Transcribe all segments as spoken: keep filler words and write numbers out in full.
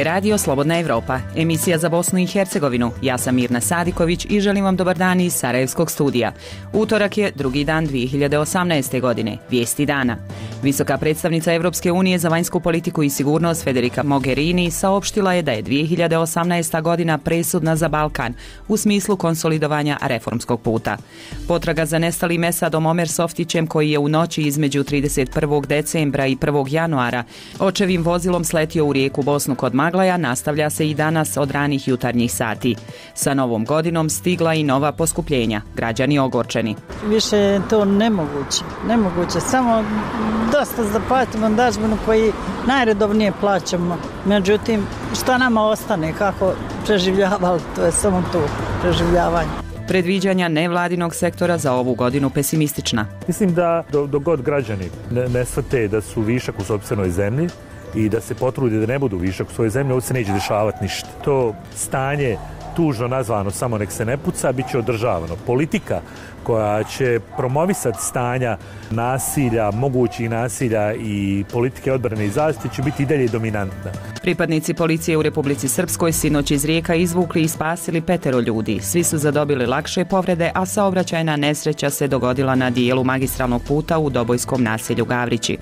je radio Slobodna Evropa, emisija za Bosnu i Hercegovinu. Ja sam Mirna Sadiković i želim vam dobar dan iz Sarajevskog studija. Utorak je drugi dan dvije hiljade osamnaeste. godine. Vijesti dana. Visoka predstavnica Evropske unije za vanjsku politiku i sigurnost Federica Mogherini saopštila je da je dvije hiljade osamnaesta. godina presudna za Balkan u smislu konsolidovanja reformskog puta. Potraga za nestalim Esadom Omer Softićem, koji je u noći između trideset prvog decembra i prvog januara očevim vozilom sletio u rijeku Bosnu kod Maglaja, nastavlja se i danas od ranih jutarnjih sati. Sa novom godinom stigla i nova poskupljenja. Građani ogorčeni. Više je to nemoguće. Nemoguće. Samo dosta zaplatimo dažbinu koji najredovnije plaćamo. Međutim, šta nama ostane, kako preživljavali, to je samo to, preživljavanje. Predviđanja nevladinog sektora za ovu godinu pesimistična. Mislim da dok god građani ne, ne shvate da su višak u sopstvenoj zemlji i da se potrude da ne budu višak u svojoj zemlji, ovo se neće dešavati ništa. To stanje, tužno nazvano samo nek se ne puca, bit će održavano. Politika koja će promovisati stanja nasilja, mogućih nasilja i politike odbrane i zaštite će biti i dalje dominantna. Pripadnici policije u Republici Srpskoj sinoć iz rijeka izvukli i spasili petero ljudi. Svi su zadobili lakše povrede, a saobraćajna nesreća se dogodila na dijelu magistralnog puta u Dobojskom naselju Gavrići.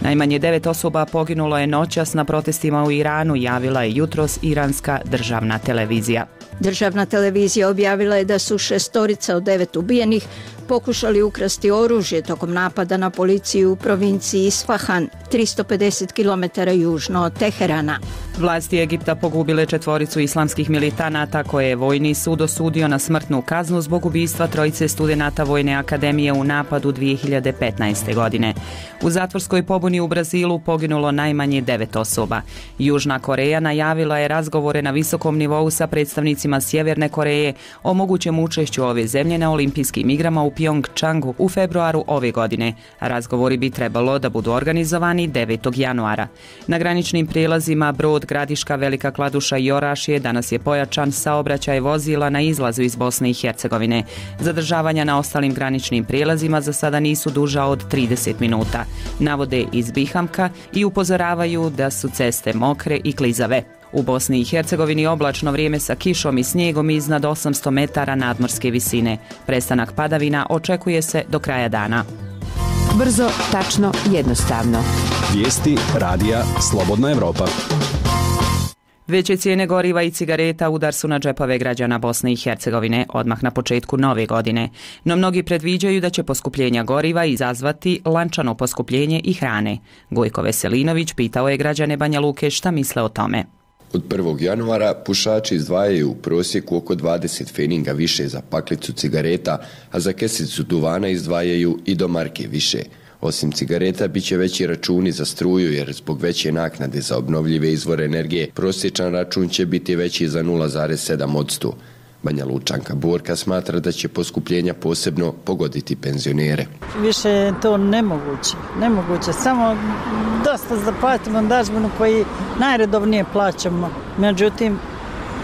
Najmanje devet osoba poginulo je noćas na protestima u Iranu, javila je jutros iranska državna televizija. Državna televizija objavila je da su šestorica od devet ubijenih pokušali ukrasti oružje tokom napada na policiju u provinciji Isfahan, tristo pedeset kilometara južno od Teherana. Vlasti Egipta pogubile četvoricu islamskih militanata koje je vojni sud osudio na smrtnu kaznu zbog ubistva trojice studenata Vojne akademije u napadu dvije hiljade petnaeste. godine. U zatvorskoj pobuni u Brazilu poginulo najmanje devet osoba. Južna Koreja najavila je razgovore na visokom nivou sa predstavnicima Sjeverne Koreje o mogućem učešću ove zemlje na olimpijskim igrama u Pjongčangu u februaru ove godine. Razgovori bi trebalo da budu organizovani devetog januara. Na graničnim prijelazima Brod, Gradiška, Velika Kladuša i Orašje danas je pojačan saobraćaj vozila na izlazu iz Bosne i Hercegovine. Zadržavanja na ostalim graničnim prijelazima za sada nisu duža od trideset minuta. Navode iz Bihamka i upozoravaju da su ceste mokre i klizave. U Bosni i Hercegovini oblačno vrijeme sa kišom i snijegom iznad osamsto metara nadmorske visine. Prestanak padavina očekuje se do kraja dana. Brzo, tačno, jednostavno. Vijesti radija Slobodna Evropa. Veće cijene goriva i cigareta udar su na džepove građana Bosne i Hercegovine odmah na početku nove godine. No mnogi predviđaju da će poskupljenja goriva izazvati lančano poskupljenje i hrane. Gojko Veselinović pitao je građane Banja Luke šta misle o tome. Od prvog januara pušači izdvajaju u prosjeku oko dvadeset feninga više za paklicu cigareta, a za kesicu duvana izdvajaju i do marke više. Osim cigareta, bit će veći računi za struju jer zbog veće naknade za obnovljive izvore energije prosječan račun će biti veći za nula zarez sedam posto. Banja Lučanka Borka smatra da će poskupljenja posebno pogoditi penzionere. Više je to nemoguće. Nemoguće. Samo dosta zaplatimo dažbinu koji najredovnije plaćamo. Međutim,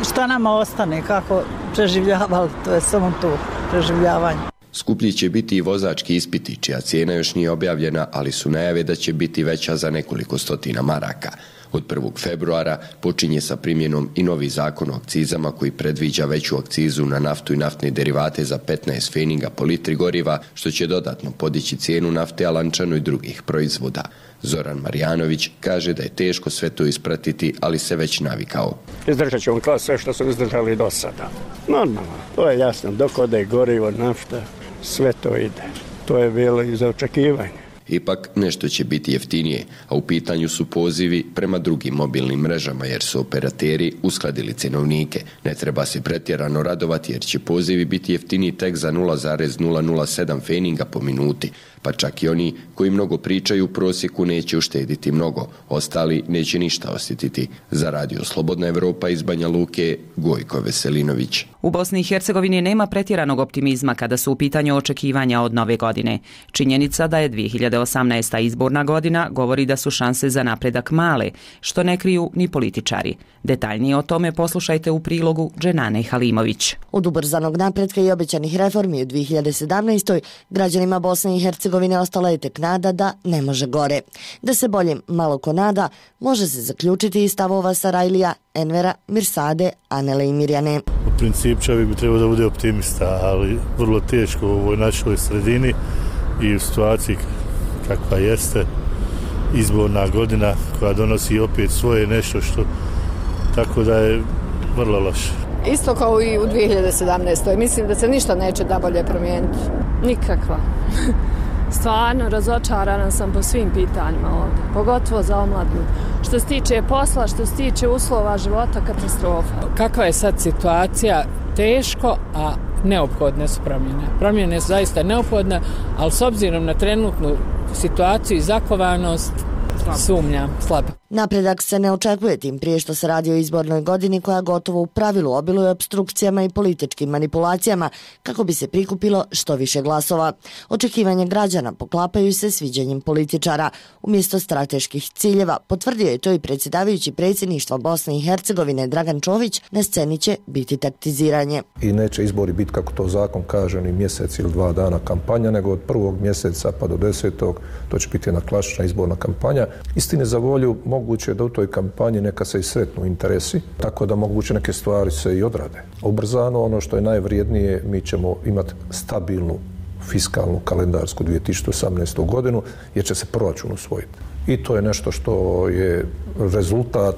šta nama ostane, kako preživljavali, to je samo to, preživljavanje. Skuplji će biti i vozački ispiti, čija cijena još nije objavljena, ali su najave da će biti veća za nekoliko stotina maraka. Od prvog februara počinje sa primjenom i novi zakon o akcizama koji predviđa veću akcizu na naftu i naftne derivate za petnaest feninga po litri goriva, što će dodatno podići cijenu nafte, a lančano i drugih proizvoda. Zoran Marjanović kaže da je teško sve to ispratiti, ali se već navikao. Izdržat ćemo kao sve što su izdržali do sada. Normalno, to je jasno, dok ode gorivo, nafta, sve to ide. To je bilo i za očekivanje. Ipak nešto će biti jeftinije, a u pitanju su pozivi prema drugim mobilnim mrežama jer su operateri uskladili cenovnike. Ne treba se pretjerano radovati jer će pozivi biti jeftiniji tek za nula zarez nula nula sedam feninga po minuti, pa čak i oni koji mnogo pričaju u prosjeku neće uštediti mnogo, ostali neće ništa osjetiti. Za radio Slobodna Evropa iz Banja Luke, Gojko Veselinović. U Bosni i Hercegovini nema pretjeranog optimizma kada su u pitanju očekivanja od nove godine. Činjenica da je dvije hiljade osamnaesta. izborna godina govori da su šanse za napredak male, što ne kriju ni političari. Detaljnije o tome poslušajte u prilogu Dženane Halimović. Od ubrzanog napretka i obećanih reformi u dvije hiljade sedamnaestoj. građanima Bosne i Hercegovine ostala je tek nada da ne može gore. Da se bolje malo ko nada, može se zaključiti iz stavova Sarajlija, Envera, Mirsade, Anele i Mirjane. U principu čovjek bi trebao da bude optimista, ali vrlo teško u ovoj našoj sredini i u situaciji kakva jeste izborna godina koja donosi opet svoje nešto što, tako da je vrlo loše. Isto kao i u dvije hiljade sedamnaestoj. Mislim da se ništa neće da bolje promijeniti. Nikakva. Stvarno razočarana sam po svim pitanjima ovdje, pogotovo za omladnu. Što se tiče posla, što se tiče uslova života, katastrofa. Kakva je sad situacija? Teško, a neophodne su promjene. Promjene su zaista neophodne, ali s obzirom na trenutnu situaciju i zakovanost, sumnja, slabo. Napredak se ne očekuje, tim prije što se radi o izbornoj godini koja gotovo u pravilu obiluje opstrukcijama i političkim manipulacijama kako bi se prikupilo što više glasova. Očekivanje građana poklapaju se sviđanjem političara. Umjesto strateških ciljeva, potvrdio je to i predsjedavajući predsjedništva Bosne i Hercegovine Dragan Čović, na sceni će biti taktiziranje. I neće izbori biti, kako to zakon kaže, ni mjesec ili dva dana kampanja, nego od prvog mjeseca pa do desetog, to će biti jedna klasična izborna kampanja. Istine za volju, moguće da u toj kampanji neka se i sretnu interesi, tako da moguće neke stvari se i odrade. Ubrzano, ono što je najvrijednije, mi ćemo imati stabilnu fiskalnu kalendarsku dvije tisuće osamnaestu. godinu, jer će se proračun usvojiti. I to je nešto što je rezultat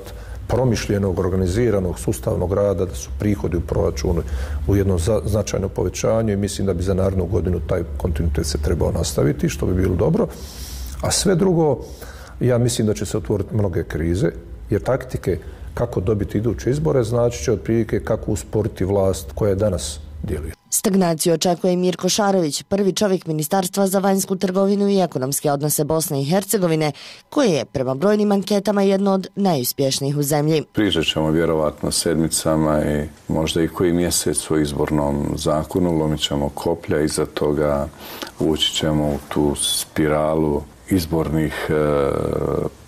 promišljenog, organiziranog, sustavnog rada, da su prihodi u proračunu u jednom značajnom povećanju i mislim da bi za narednu godinu taj kontinuitet se trebao nastaviti, što bi bilo dobro. A sve drugo, ja mislim da će se otvoriti mnoge krize, jer taktike kako dobiti iduće izbore znači će otprilike kako usporiti vlast koja je danas djeluje. Stagnaciju očekuje i Mirko Šarović, prvi čovjek Ministarstva za vanjsku trgovinu i ekonomske odnose Bosne i Hercegovine, koje je prema brojnim anketama jedno od najuspješnijih u zemlji. Pričat ćemo vjerovatno sedmicama i možda i koji mjesec u izbornom zakonu, lomit ćemo koplja, iza toga ući ćemo u tu spiralu izbornih e,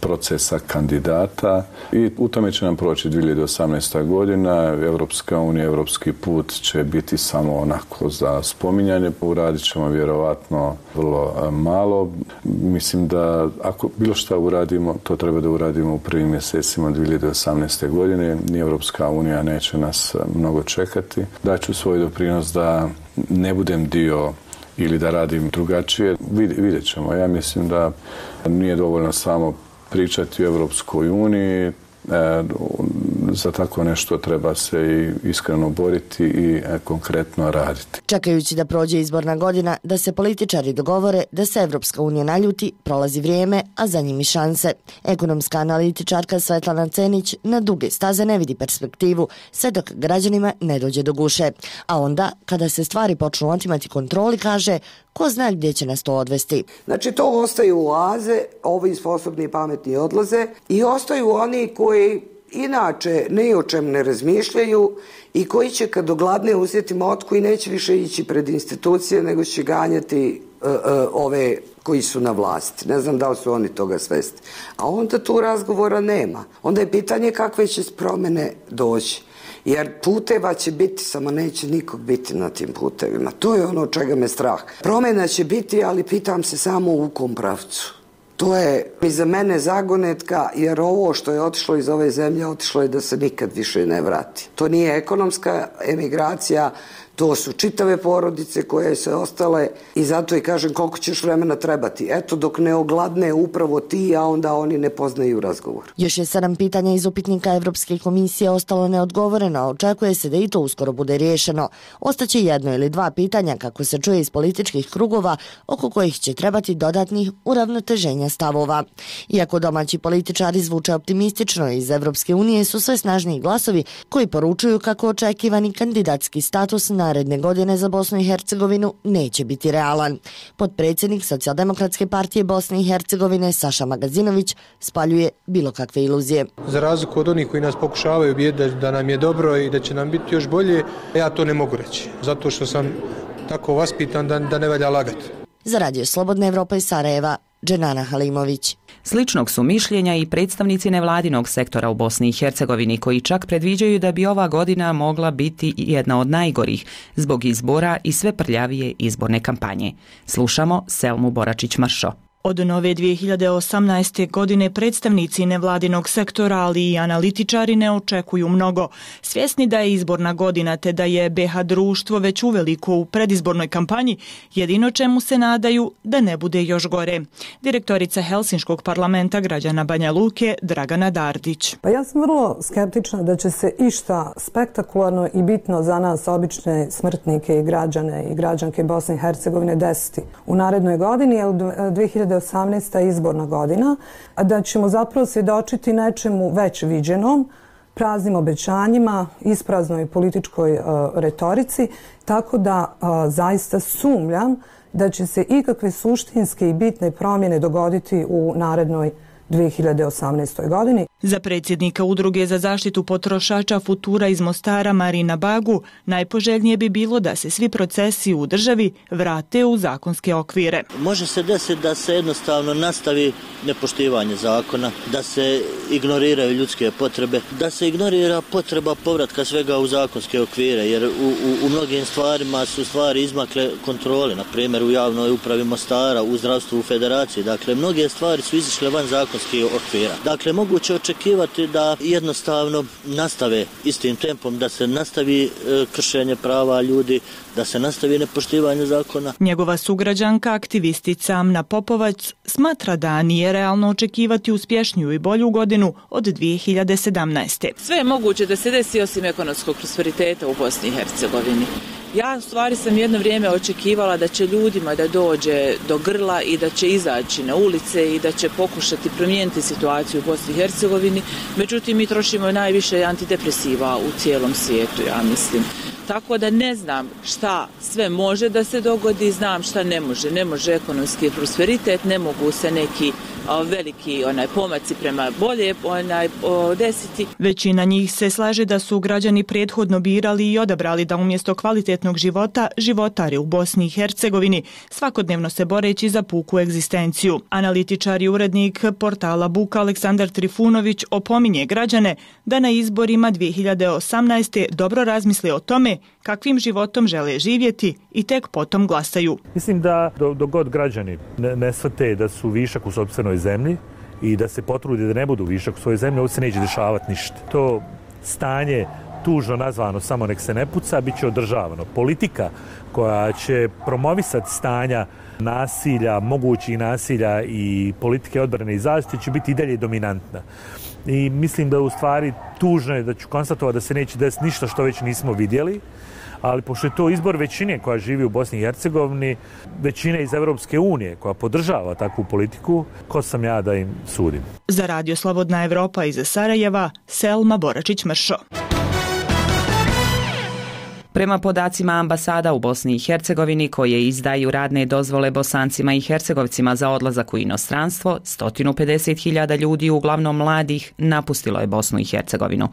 procesa kandidata i u tome će nam proći dvije hiljade osamnaesta. godina. Evropska unija, evropski put će biti samo onako za spominjanje. Uradit ćemo vjerovatno vrlo malo. Mislim da ako bilo šta uradimo, to treba da uradimo u prvim mjesecima dvije hiljade osamnaeste. godine. Ni Evropska unija neće nas mnogo čekati. Daću svoj doprinos da ne budem dio ili da radim drugačije, vidjet ćemo. Ja mislim da nije dovoljno samo pričati o Evropskoj uniji, E, za tako nešto treba se i iskreno boriti i e, konkretno raditi. Čekajući da prođe izborna godina, da se političari dogovore da se Evropska unija naljuti, prolazi vrijeme, a za njim i šanse. Ekonomska analitičarka Svetlana Cenić na duge staze ne vidi perspektivu, sve dok građanima ne dođe do guše. A onda, kada se stvari počnu otimati kontroli, kaže, ko zna gdje će nas to odvesti. Znači, to ostaju oaze, ovi sposobni i pametni odlaze i ostaju oni koji inače ni o čem ne razmišljaju i koji će kad ogladne uzeti motku i neće više ići pred institucije, nego će ganjati uh, uh, ove koji su na vlasti. Ne znam da li su oni toga svesti. A onda tu razgovora nema. Onda je pitanje kakve će promjene doći. Jer puteva će biti, samo neće nikog biti na tim putevima. To je ono čega me strah. Promjena će biti, ali pitam se samo u kom pravcu. To je i za mene zagonetka, jer ovo što je otišlo iz ove zemlje, otišlo je da se nikad više ne vrati. To nije ekonomska emigracija, to su čitave porodice koje su ostale i zato i kažem koliko ćeš vremena trebati. Eto dok ne ogladne upravo ti, a onda oni ne poznaju razgovor. Još je sedam pitanja iz upitnika Evropske komisije ostalo neodgovoreno, a očekuje se da i to uskoro bude riješeno. Ostaće jedno ili dva pitanja, kako se čuje iz političkih krugova, oko kojih će trebati dodatnih uravnoteženja usklađivanja stavova. Iako domaći političari zvuče optimistično, iz Evropske unije su sve snažniji glasovi koji poručuju kako očekivani kandidatski status naredne godine za Bosnu i Hercegovinu neće biti realan. Potpredsjednik Socijaldemokratske partije Bosne i Hercegovine Saša Magazinović spaljuje bilo kakve iluzije. Za razliku od onih koji nas pokušavaju ubijediti da nam je dobro i da će nam biti još bolje, ja to ne mogu reći, zato što sam tako vaspitan da, da ne valja lagati. Za Radio Slobodna Evropa iz Sarajeva, Dženana Halimović. Sličnog su mišljenja i predstavnici nevladinog sektora u Bosni i Hercegovini, koji čak predviđaju da bi ova godina mogla biti jedna od najgorih zbog izbora i sve prljavije izborne kampanje. Slušamo Selmu Boračić-Mršo. Od nove dvije hiljade osamnaeste. godine predstavnici nevladinog sektora, ali i analitičari ne očekuju mnogo. Svjesni da je izborna godina te da je be ha društvo već uveliko u predizbornoj kampanji, jedino čemu se nadaju da ne bude još gore. Direktorica Helsinškog parlamenta građana Banja Luke, Dragana Dardić. Pa ja sam vrlo skeptična da će se išta spektakularno i bitno za nas, obične smrtnike i građane i građanke Bosne i Hercegovine, desiti u narednoj godini, jer dvije hiljade osamnaesta. izborna godina, a da ćemo zapravo svjedočiti nečemu već viđenom, praznim obećanjima, ispraznoj političkoj uh, retorici, tako da uh, zaista sumnjam da će se ikakve suštinske i bitne promjene dogoditi u narednoj dvije hiljade osamnaestoj. godini. Za predsjednika Udruge za zaštitu potrošača Futura iz Mostara Marina Bagu najpoželjnije bi bilo da se svi procesi u državi vrate u zakonske okvire. Može se desiti da se jednostavno nastavi nepoštivanje zakona, da se ignoriraju ljudske potrebe, da se ignorira potreba povratka svega u zakonske okvire, jer u, u, u mnogim stvarima su stvari izmakle kontrole, na primjer u javnoj upravi Mostara, u zdravstvu u federaciji. Dakle, mnoge stvari su izišle van zakonskih okvira. Dakle, moguće očekivati da jednostavno nastave istim tempom, da se nastavi e, kršenje prava ljudi, da se nastavi nepoštivanje zakona. Njegova sugrađanka, aktivistica Amna Popovac, smatra da nije realno očekivati uspješniju i bolju godinu od dvije hiljade sedamnaeste. Sve je moguće da se desi osim ekonomskog prosperiteta u Bosni i Hercegovini. Ja u stvari sam jedno vrijeme očekivala da će ljudima da dođe do grla i da će izaći na ulice i da će pokušati promijeniti situaciju u Bosni i Hercegovini. Međutim, mi trošimo najviše antidepresiva u cijelom svijetu, ja mislim. Tako da ne znam šta sve može da se dogodi, znam šta ne može. Ne može ekonomski prosperitet, ne mogu se neki a, veliki onaj pomaci prema bolje onaj o, desiti. Većina njih se slaže da su građani prethodno birali i odabrali da umjesto kvalitetnog života životare u Bosni i Hercegovini, svakodnevno se boreći za puku egzistenciju. Analitičar i urednik portala Buka Aleksandar Trifunović opominje građane da na izborima dvije hiljade osamnaeste. dobro razmisle o tome kakvim životom žele živjeti i tek potom glasaju. Mislim da dok do god građani ne, ne shvate da su višak u sopstvenoj zemlji i da se potrude da ne budu višak u svojoj zemlji, ovo se neće dešavati ništa. To stanje tužno nazvano samo nek se ne puca, bit će održavano. Politika koja će promovisati stanja nasilja, mogućih nasilja i politike odbrane i zaštite će biti i dalje dominantna. I mislim da u stvari tužno je da ću konstatovati da se neće desiti ništa što već nismo vidjeli, ali pošto je to izbor većine koja živi u Bosni i Hercegovini, većine iz Evropske unije koja podržava takvu politiku, ko sam ja da im sudim. Za Radio Slobodna Evropa iz Sarajeva, Selma Boračić-Mršo. Prema podacima ambasada u Bosni i Hercegovini koje izdaju radne dozvole Bosancima i Hercegovcima za odlazak u inostranstvo, sto pedeset hiljada ljudi, uglavnom mladih, napustilo je Bosnu i Hercegovinu.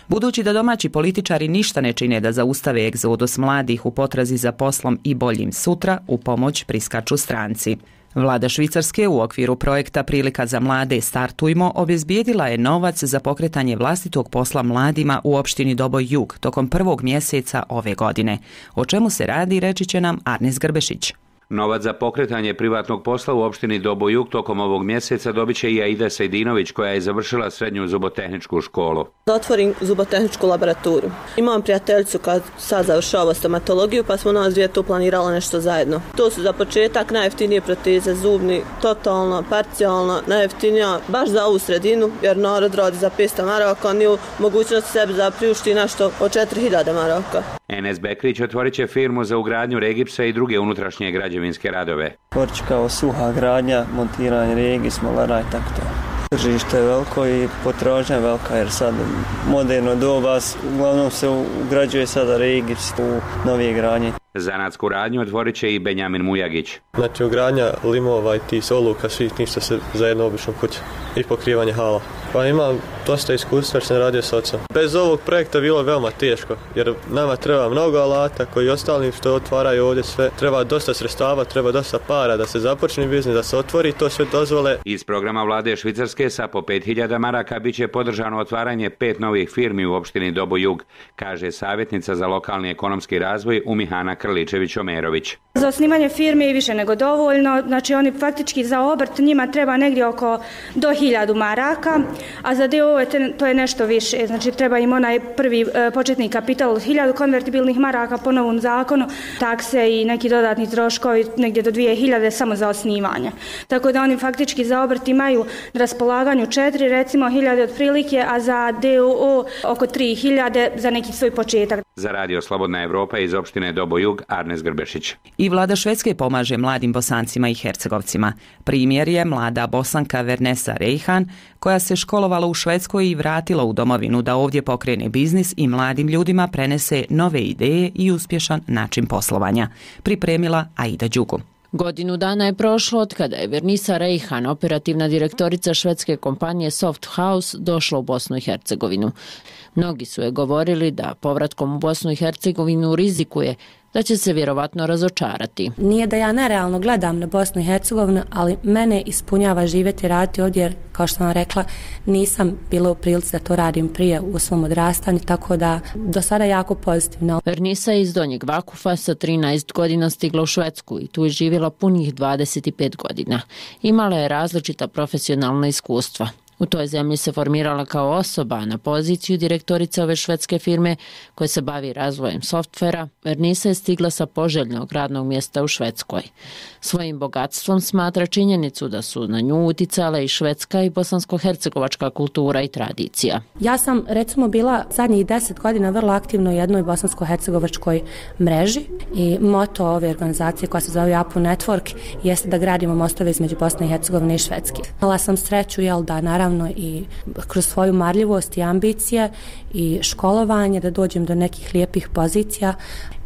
Budući da domaći političari ništa ne čine da zaustave egzodus mladih u potrazi za poslom i boljim sutra, u pomoć priskaču stranci. Vlada Švicarske u okviru projekta Prilika za mlade Startujmo obezbijedila je novac za pokretanje vlastitog posla mladima u opštini Doboj Jug tokom prvog mjeseca ove godine. O čemu se radi, reći će nam Arnes Grbešić. Novac za pokretanje privatnog posla u opštini Doboj Jug tokom ovog mjeseca dobit će i Aida Sejdinović, koja je završila srednju zubotehničku školu. Da otvorim zubotehničku laboraturu. Imam prijateljicu kad sad završava stomatologiju, pa smo nas dvije tu planirala nešto zajedno. To su za početak najjeftinije proteze zubni, totalno, parcijalno, najjeftinija baš za ovu sredinu, jer narod radi za petsto maraka, nije u mogućnosti sebi da priušti nešto od četiri hiljade maraka. Enes Bekrić otvorit će firmu za ugradnju regipsa i druge unutrašnje građevinske radove. Otvorit će kao suha gradnja, montiranje regis, molara i tako to. Tržište je veliko i potražnja je velika jer sad moderno doba uglavnom se ugrađuje sada regips u novije gradnje. Zanatsku radnju otvorit će i Benjamin Mujagić. Znači ugradnja limova i ti soluka, svih ništa se zajedno obično kuće i pokrivanje hala. Pa imam dosta iskustva jer sam radio s ocem. Bez ovog projekta bilo je veoma teško jer nama treba mnogo alata koji ostalim što otvaraju ovdje sve. Treba dosta sredstava, treba dosta para da se započne biznis, da se otvori to sve dozvole. Iz programa vlade Švicarske sa po pet hiljada maraka bit će podržano otvaranje pet novih firmi u opštini Dobo Jug, kaže savjetnica za lokalni ekonomski razvoj Umihana Krličević-Omerović. Za osnivanje firme je više nego dovoljno, znači oni faktički za obrt njima treba negdje oko do hiljadu maraka, a za D O O to je nešto više, znači treba im onaj prvi e, početni kapital od hiljadu konvertibilnih maraka po novom zakonu, takse i neki dodatni troškovi negdje do dvije hiljade samo za osnivanje. Tako da oni faktički za obrt imaju na raspolaganju četiri recimo hiljade otprilike, a za D O O oko tri hiljade za neki svoj početak. Za Radio Slobodna Evropa iz opštine Dobo Jug, Arnes Grbešić. I vlada Švedske pomaže mladim Bosancima i Hercegovcima. Primjer je mlada Bosanka Vernesa Rejhan, koja se školovala u Švedskoj i vratila u domovinu da ovdje pokrene biznis i mladim ljudima prenese nove ideje i uspješan način poslovanja. Pripremila Aida Đugu. Godinu dana je prošlo od kada je Vernisa Rejhan, operativna direktorica švedske kompanije Soft House, došla u Bosnu i Hercegovinu. Mnogi su je govorili da povratkom u Bosnu i Hercegovinu rizikuje da će se vjerovatno razočarati. Nije da ja nerealno gledam na Bosnu i Hercegovinu, ali mene ispunjava živjeti i raditi ovdje jer, kao što sam rekla, nisam bila u prilici da to radim prije u svom odrastanju, tako da do sada jako pozitivno. Vernisa je iz Donjeg Vakufa sa trinaest godina stigla u Švedsku i tu je živjela punih dvadeset pet godina. Imala je različita profesionalna iskustva. U toj zemlji se formirala kao osoba na poziciju direktorice ove švedske firme koja se bavi razvojem softvera. Vernisa je stigla sa poželjnog radnog mjesta u Švedskoj. Svojim bogatstvom smatra činjenicu da su na nju uticale i švedska i bosansko-hercegovačka kultura i tradicija. Ja sam recimo bila zadnjih deset godina vrlo aktivno u jednoj bosansko-hercegovačkoj mreži i moto ove organizacije koja se zove Apu Network jeste da gradimo mostove između Bosne i Hercegovine i Švedske. Imala sam sreću jel, da naravno i kroz svoju marljivost i ambicije i školovanje da dođem do nekih lijepih pozicija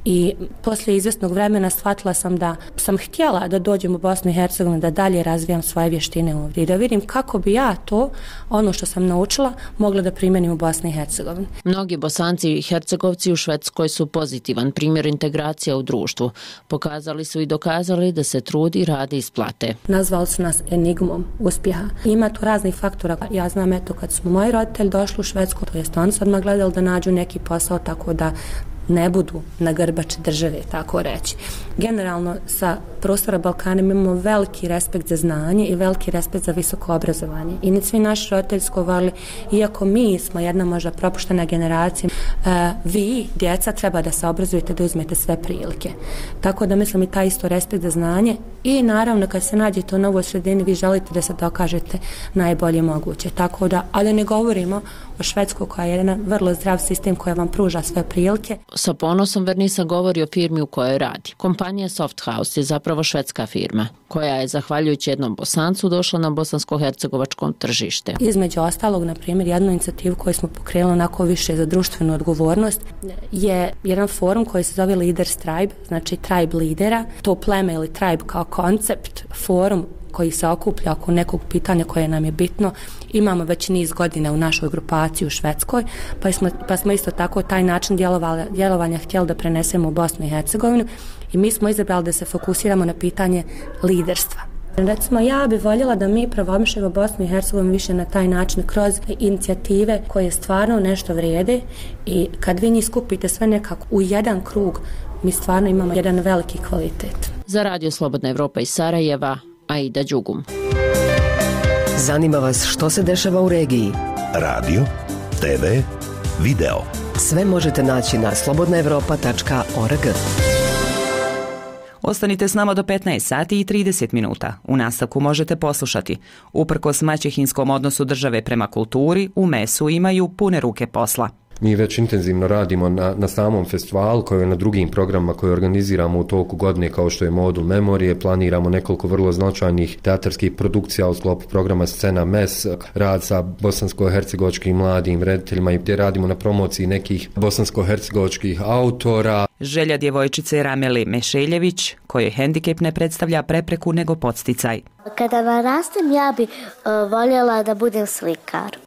i poslije izvjesnog vremena shvatila sam da sam htjela da dođem u Bosnu i Hercegovinu, da dalje razvijam svoje vještine ovdje i da vidim kako bi ja to, ono što sam naučila, mogla da primjenim u Bosni i Hercegovini. Mnogi Bosanci i Hercegovci u Švedskoj su pozitivan primjer integracija u društvu. Pokazali su i dokazali da se trudi i radi isplate. Nazvali su nas enigmom uspjeha. Ima tu raznih faktora. Ja znam eto kad su moji roditelji došli u Švedsku, to jest oni su odmah gledali da nađu neki posao tako da ne budu na grbači države, tako reći. Generalno, sa prostora Balkana imamo veliki respekt za znanje i veliki respekt za visoko obrazovanje. I ni svi naši roditelji su govorili, iako mi smo jedna možda propuštena generacija, uh, vi, djeca, treba da se obrazujete, da uzmete sve prilike. Tako da mislim i taj isto respekt za znanje i naravno kad se nađete u novoj sredini, vi želite da se dokažete najbolje moguće. Tako da, ali ne govorimo o Švedskoj koja je jedan vrlo zdrav sistem koja vam pruža sve prilike. Sa ponosom Vernisa govori o firmi u kojoj radi. Kompanija Soft House je zapravo švedska firma, koja je, zahvaljujući jednom Bosancu, došla na bosansko-hercegovačkom tržište. Između ostalog, na primjer, jednu inicijativu koju smo pokrenuli onako više za društvenu odgovornost je jedan forum koji se zove Leaders Tribe, znači tribe lidera. To pleme ili tribe kao koncept, forum koji se okuplja oko nekog pitanja koje nam je bitno. Imamo već niz godina u našoj grupaciji u Švedskoj, pa smo, pa smo isto tako taj način djelovanja htjeli da prenesemo u Bosnu i Hercegovinu i mi smo izabrali da se fokusiramo na pitanje liderstva. Recimo, ja bih voljela da mi promovišemo Bosnu i Hercegovinu više na taj način kroz inicijative koje stvarno nešto vrijede i kad vi njih skupite sve nekako u jedan krug, mi stvarno imamo jedan veliki kvalitet. Za Radio Slobodna Evropa iz Sarajeva, Aida Đugum. Zanima vas što se dešava u regiji? Radio, te ve, video. Sve možete naći na slobodna evropa tačka org. Ostanite s nama do petnaest sati i trideset minuta. U nastavku možete poslušati. Uprkos maćehinskom odnosu države prema kulturi, u mesu imaju pune ruke posla. Mi već intenzivno radimo na, na samom festivalu, kao i na drugim programima koje organiziramo u toku godine, kao što je Modul Memorije. Planiramo nekoliko vrlo značajnih teatarskih produkcija u sklopu programa Scena Mes, rad sa bosansko-hercegovačkim mladim rediteljima i gdje radimo na promociji nekih bosansko-hercegovačkih autora. Želja djevojčice Rameli Mešeljević, kojoj hendikep ne predstavlja prepreku nego podsticaj. Kada narastem, ja bi uh, voljela da budem slikar.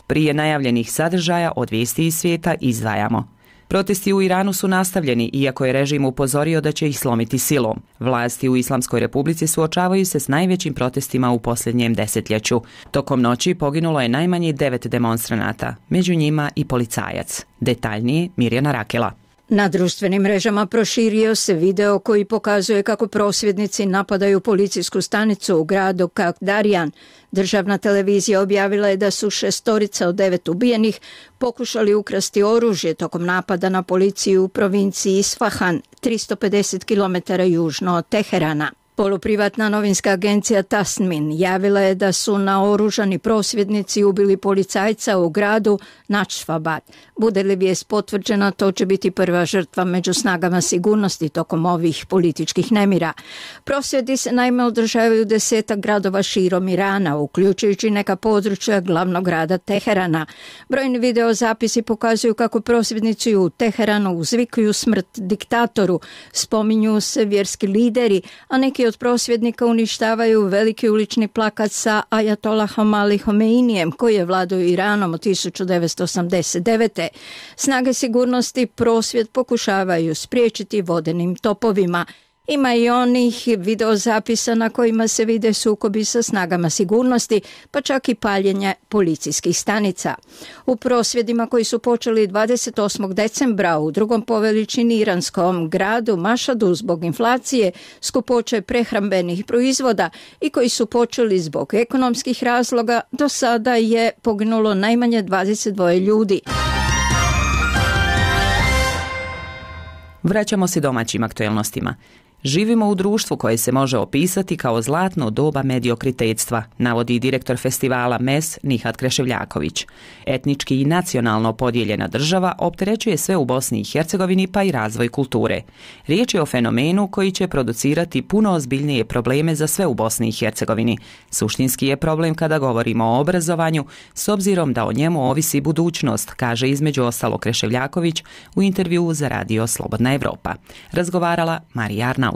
Prije najavljenih sadržaja od vijesti iz svijeta izdvajamo. Protesti u Iranu su nastavljeni, iako je režim upozorio da će ih slomiti silom. Vlasti u Islamskoj Republici suočavaju se s najvećim protestima u posljednjem desetljeću. Tokom noći poginulo je najmanje devet demonstranata, među njima i policajac. Detaljnije Mirjana Rakela. Na društvenim mrežama proširio se video koji pokazuje kako prosvjednici napadaju policijsku stanicu u gradu Kakdarjan. Državna televizija objavila je da su šestorica od devet ubijenih pokušali ukrasti oružje tokom napada na policiju u provinciji Isfahan, tristo pedeset kilometara južno od Teherana. Poluprivatna novinska agencija Tasmin javila je da su naoružani prosvjednici ubili policajca u gradu Načfabad. Bude li vijest potvrđena, to će biti prva žrtva među snagama sigurnosti tokom ovih političkih nemira. Prosvjedi se naime održavaju u desetak gradova širom Irana, uključujući neka područja glavnog grada Teherana. Brojni videozapisi pokazuju kako prosvjednici u Teheranu uzvikuju smrt diktatoru, spominju se vjerski lideri, a neki od prosvjednika uništavaju veliki ulični plakat sa Ajatolahom Ali Homeinijem, koji je vladao Iranom od tisuću devetsto osamdeset devete. Snage sigurnosti prosvjed pokušavaju spriječiti vodenim topovima. Ima i onih videozapisa na kojima se vide sukobi sa snagama sigurnosti, pa čak i paljenje policijskih stanica. U prosvjedima koji su počeli dvadeset osmog decembra u drugom po veličini iranskom gradu Mašadu zbog inflacije, skupoće prehrambenih proizvoda i koji su počeli zbog ekonomskih razloga, do sada je poginulo najmanje dvadeset dva ljudi. Vraćamo se domaćim aktuelnostima. Živimo u društvu koje se može opisati kao zlatno doba mediokritetstva, navodi direktor festivala M E S Nihat Kreševljaković. Etnički i nacionalno podijeljena država opterećuje sve u Bosni i Hercegovini, pa i razvoj kulture. Riječ je o fenomenu koji će producirati puno ozbiljnije probleme za sve u Bosni i Hercegovini. Suštinski je problem kada govorimo o obrazovanju, s obzirom da o njemu ovisi budućnost, kaže između ostalo Kreševljaković u intervjuu za radio Slobodna Evropa. Razgovarala Marija Arnaut.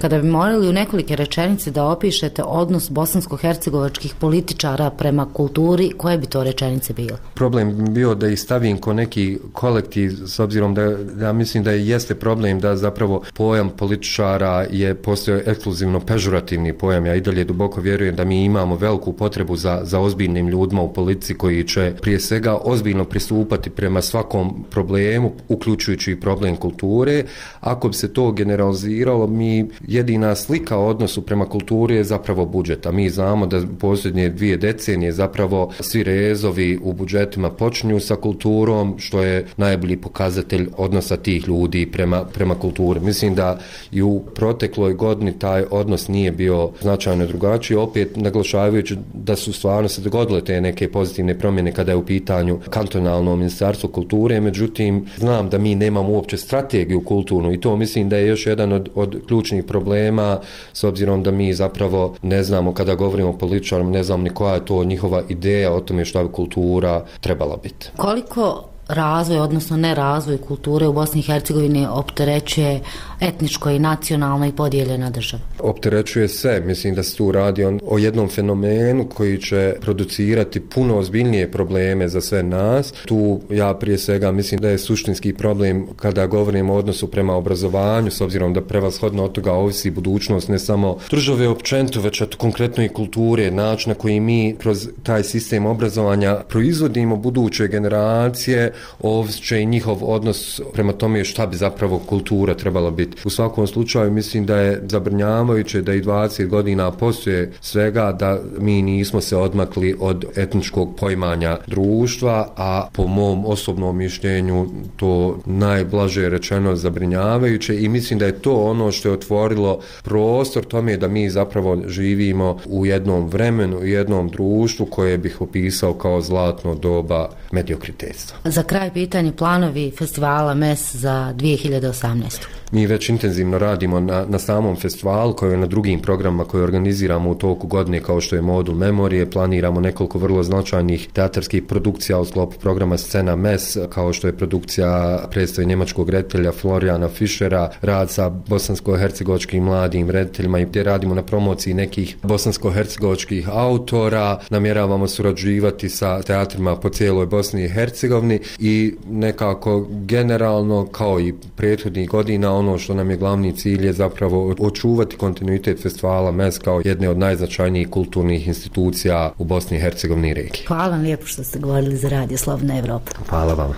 Kada bi morali u nekolike rečenice da opišete odnos bosansko-hercegovačkih političara prema kulturi, koje bi to rečenice bile? Problem bi bio da ih stavim ko neki kolektiv, s obzirom da ja mislim da jeste problem da zapravo pojam političara je postao ekskluzivno pežurativni pojam. Ja i dalje duboko vjerujem da mi imamo veliku potrebu za, za ozbiljnim ljudima u politici koji će prije svega ozbiljno pristupati prema svakom problemu, uključujući i problem kulture. Ako bi se to generaliziralo, mi jedina slika o odnosu prema kulturi je zapravo budžet, a mi znamo da posljednje dvije decenije zapravo svi rezovi u budžetima počinju sa kulturom, što je najbolji pokazatelj odnosa tih ljudi prema, prema kulturi. Mislim da i u protekloj godini taj odnos nije bio značajno drugačiji, opet naglašavajući da su stvarno se dogodile te neke pozitivne promjene kada je u pitanju kantonalno ministarstvo kulture, međutim znam da mi nemamo uopće strategiju kulturnu i to mislim da je još jedan od, od ključnih problema, s obzirom da mi zapravo ne znamo, kada govorimo o političarima, ne znamo ni koja je to njihova ideja o tome što bi kultura trebala biti. Koliko razvoj, odnosno nerazvoj kulture u Bosni i Hercegovini opterećuje etničko i nacionalno i podijeljena država? Opterećuje se, mislim da se tu radi on, o jednom fenomenu koji će producirati puno ozbiljnije probleme za sve nas. Tu ja prije svega mislim da je suštinski problem kada govorimo o odnosu prema obrazovanju, s obzirom da prevashodno od toga ovisi budućnost ne samo države općenito, već od konkretno i kulture, način na koji mi kroz taj sistem obrazovanja proizvodimo buduće generacije, ovisit će i njihov odnos prema tome šta bi zapravo kultura trebala biti. U svakom slučaju mislim da je zabrinjavajuće da i dvadeset godina poslije svega da mi nismo se odmakli od etničkog poimanja društva, a po mom osobnom mišljenju to najblaže rečeno zabrinjavajuće i mislim da je to ono što je otvorilo prostor tome da mi zapravo živimo u jednom vremenu, u jednom društvu koje bih opisao kao zlatno doba mediokritetstva. Za kraj pitanje planovi festivala M E S za dvije hiljade osamnaestu. Mi već intenzivno radimo na, na samom festivalu, kao i na drugim programima koje organiziramo u toku godine, kao što je Modul Memorije. Planiramo nekoliko vrlo značajnih teatarskih produkcija u sklopu programa Scena M E S, kao što je produkcija predstave njemačkog reditelja Florijana Fischera, rad sa bosansko-hercegovačkim mladim rediteljima i gdje radimo na promociji nekih bosansko-hercegovačkih autora. Namjeravamo surađivati sa teatrima po cijeloj Bosni i Hercegovini i nekako generalno, kao i prethodnih godina, ono što nam je glavni cilj je zapravo očuvati kontinuitet festivala M E S kao jedne od najznačajnijih kulturnih institucija u Bosni i Hercegovini i regiji. Hvala vam lijepo što ste govorili za Radio Slobodna Evropa. Hvala vam.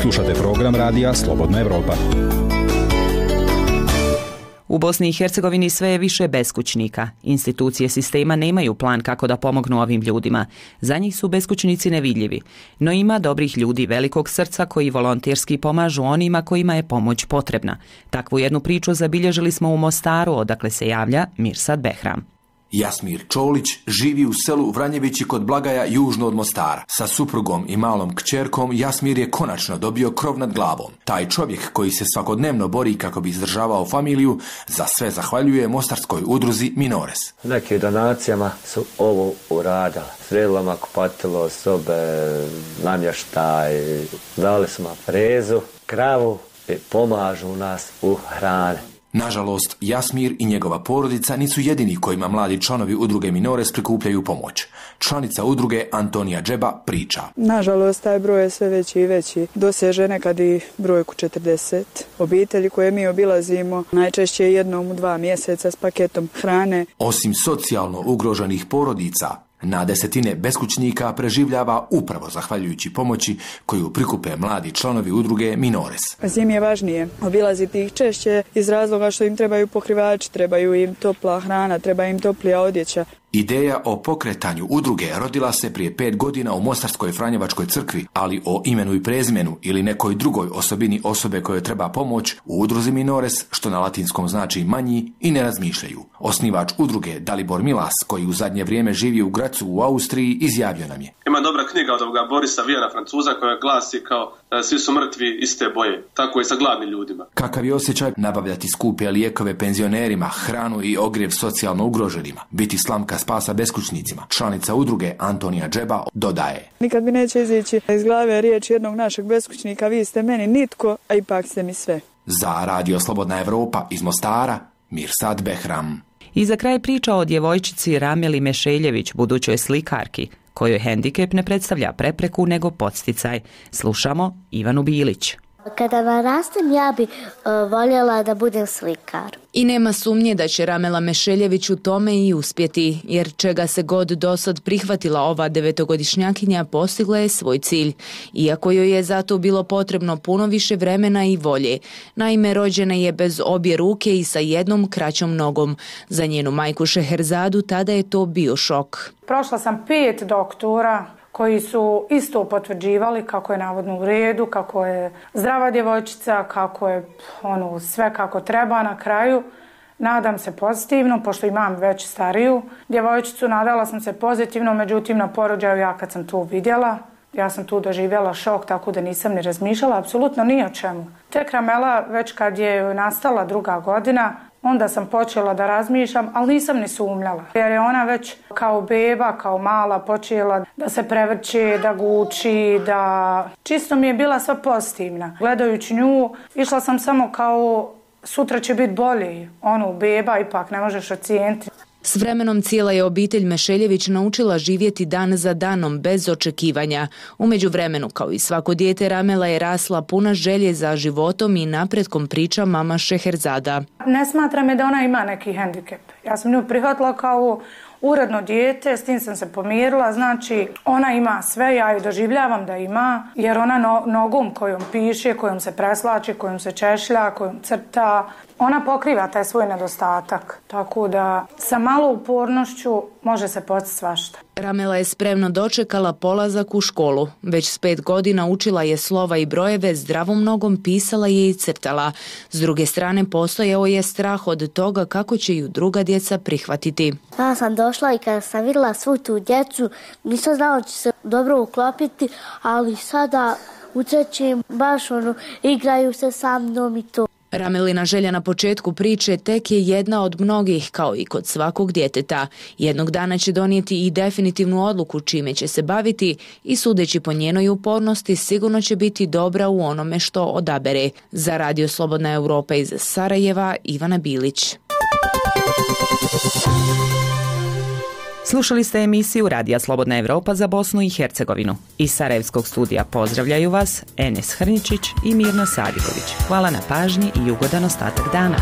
Slušate program Radija Slobodna Evropa. U Bosni i Hercegovini sve je više beskućnika. Institucije sistema nemaju plan kako da pomognu ovim ljudima. Za njih su beskućnici nevidljivi. No ima dobrih ljudi velikog srca koji volonterski pomažu onima kojima je pomoć potrebna. Takvu jednu priču zabilježili smo u Mostaru, odakle se javlja Mirsad Behram. Jasmir Čolić živi u selu Vranjevići kod Blagaja južno od Mostara. Sa suprugom i malom kćerkom Jasmir je konačno dobio krov nad glavom. Taj čovjek koji se svakodnevno bori kako bi izdržavao familiju, za sve zahvaljuje mostarskoj udruzi Minores. Nekim donacijama su ovo uradili. Sredilama kupatilo, sobe, namještaj, dali smo frezu, kravu i pomažu nas u hrane. Nažalost, Jasmir i njegova porodica nisu jedini kojima mladi članovi udruge Minores prikupljaju pomoć. Članica udruge Antonija Džeba priča. Nažalost, taj broj je sve veći i veći. Doseže nekad i brojku četrdeset. Obitelji koje mi obilazimo najčešće jednom u dva mjeseca s paketom hrane. Osim socijalno ugroženih porodica, na desetine beskućnika preživljava upravo zahvaljujući pomoći koju prikupe mladi članovi udruge Minores. Zim je važnije obilaziti ih češće iz razloga što im trebaju pokrivači, trebaju im topla hrana, treba im toplija odjeća. Ideja o pokretanju udruge rodila se prije pet godina u Mostarskoj Franjevačkoj crkvi, ali o imenu i prezimenu ili nekoj drugoj osobini osobe kojoj treba pomoć u udruzi Minores, što na latinskom znači manji, i ne razmišljaju. Osnivač udruge Dalibor Milas, koji u zadnje vrijeme živi u Gracu u Austriji, izjavio nam je. Ima dobra knjiga od ovoga Borisa Vijana, Francuza, koja glasi kao svi su mrtvi iste boje. Tako i sa gladnim ljudima. Kakav je osjećaj nabavljati skupe lijekove penzionerima, hranu i ogrjev socijalno ugroženima, biti slamka spasa beskućnicima. Članica udruge Antonija Džeba dodaje. Nikad mi neće izići iz glave riječ jednog našeg beskućnika, vi ste meni nitko, a ipak ste mi sve. Za Radio Slobodna Evropa iz Mostara, Mirsad Behram. I za kraj priča o djevojčici Rameli Mešeljević, budućoj slikarki, kojoj hendikep ne predstavlja prepreku nego podsticaj. Slušamo Ivanu Bilić. Kada narastem, ja bi uh, voljela da budem slikar. I nema sumnje da će Ramela Mešeljević u tome i uspjeti, jer čega se god dosad prihvatila ova devetogodišnjakinja, postigla je svoj cilj, iako joj je zato bilo potrebno puno više vremena i volje. Naime, rođena je bez obje ruke i sa jednom kraćom nogom. Za njenu majku Šeherzadu tada je to bio šok. Prošla sam pet doktora koji su isto potvrđivali kako je navodno u redu, kako je zdrava djevojčica, kako je ono, sve kako treba. Na kraju nadam se pozitivno, pošto imam već stariju djevojčicu, nadala sam se pozitivno, međutim na porođaju ja kad sam tu vidjela, ja sam tu doživjela šok, tako da nisam ni razmišljala apsolutno ni o čemu. Tek Ramela, već kad je nastala druga godina, onda sam počela da razmišljam, ali nisam ni sumnjala. Jer je ona već kao beba, kao mala, počela da se prevrće, da guči, da... Čisto mi je bila sva pozitivna. Gledajući nju, išla sam samo kao sutra će biti bolje. Ono, beba ipak ne možeš ocijeniti. S vremenom cijela je obitelj Mešeljević naučila živjeti dan za danom bez očekivanja. U međuvremenu, kao i svako dijete, Ramela je rasla puna želje za životom i napretkom, priča mama Šeherzada. Ne smatra me da ona ima neki hendikep. Ja sam nju prihvatila kao uredno dijete, s tim sam se pomirila, znači ona ima sve, ja ju doživljavam da ima, jer ona no, nogom kojom piše, kojom se preslači, kojom se češlja, kojom crta, ona pokriva taj svoj nedostatak, tako da sa malo upornošću može se postići svašta. Ramela je spremno dočekala polazak u školu. Već s pet godina učila je slova i brojeve, zdravom nogom pisala je i crtala. S druge strane, postojao je strah od toga kako će ju druga djeca prihvatiti. Ja sam došla i kada sam vidjela svu tu djecu, nisam znala da će se dobro uklopiti, ali sada utrećem baš ono, igraju se sa mnom i to. Ramelina želja na početku priče tek je jedna od mnogih, kao i kod svakog djeteta. Jednog dana će donijeti i definitivnu odluku čime će se baviti i sudeći po njenoj upornosti sigurno će biti dobra u onome što odabere. Za Radio Slobodna Europa iz Sarajeva, Ivana Bilić. Slušali ste emisiju Radija Slobodna Evropa za Bosnu i Hercegovinu. Iz Sarajevskog studija pozdravljaju vas Enes Hrničić i Mirna Sadiković. Hvala na pažnji i ugodan ostatak dana.